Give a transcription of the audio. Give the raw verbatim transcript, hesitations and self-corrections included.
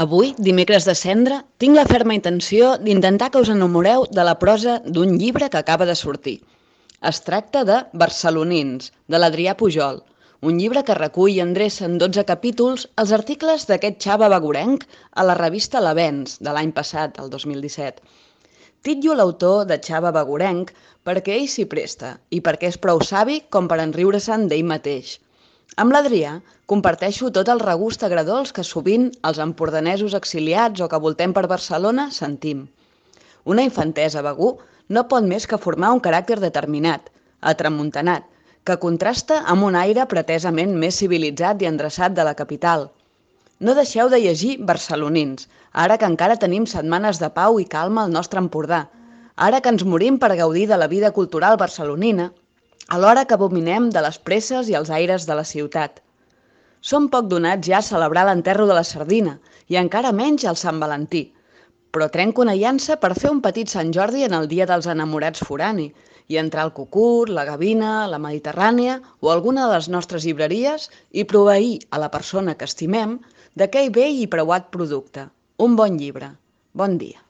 Avui, dimecres de Cendra, tinc la ferma intenció d'intentar que us enamoreu de la prosa d'un llibre que acaba de sortir. Es tracta de Barcelonins, de l'Adrià Pujol, un llibre que recull i endreça en dotze capítols els articles d'aquest xava bagurenc a la revista L'Avenç, de l'any passat, el dos mil disset. Titllo l'autor de xava bagurenc perquè ell s'hi presta i perquè és prou savi com per enriure-se'n d'ell mateix. Amb l'Adrià comparteixo tot el regust agredolç que sovint els empordanesos exiliats o que voltem per Barcelona sentim. Una infantesa a Begur no pot més que formar un caràcter determinat, atramuntanat, que contrasta amb un aire pretesament més civilitzat i endreçat de la capital. No deixeu de llegir Barcelonins, ara que encara tenim setmanes de pau i calma al nostre Empordà, ara que ens morim per gaudir de la vida cultural barcelonina, alhora que abominem de les presses i els aires de la ciutat. Som poc donats ja a celebrar l'enterro de la sardina i encara menys el Sant Valentí, però trenco una llança per fer un petit Sant Jordi en el dia dels enamorats forani i entrar al Cucut, la Gavina, la Mediterrània o alguna de les nostres llibreries i proveir a la persona que estimem d'aquell vell i preuat producte, un bon llibre. Bon dia.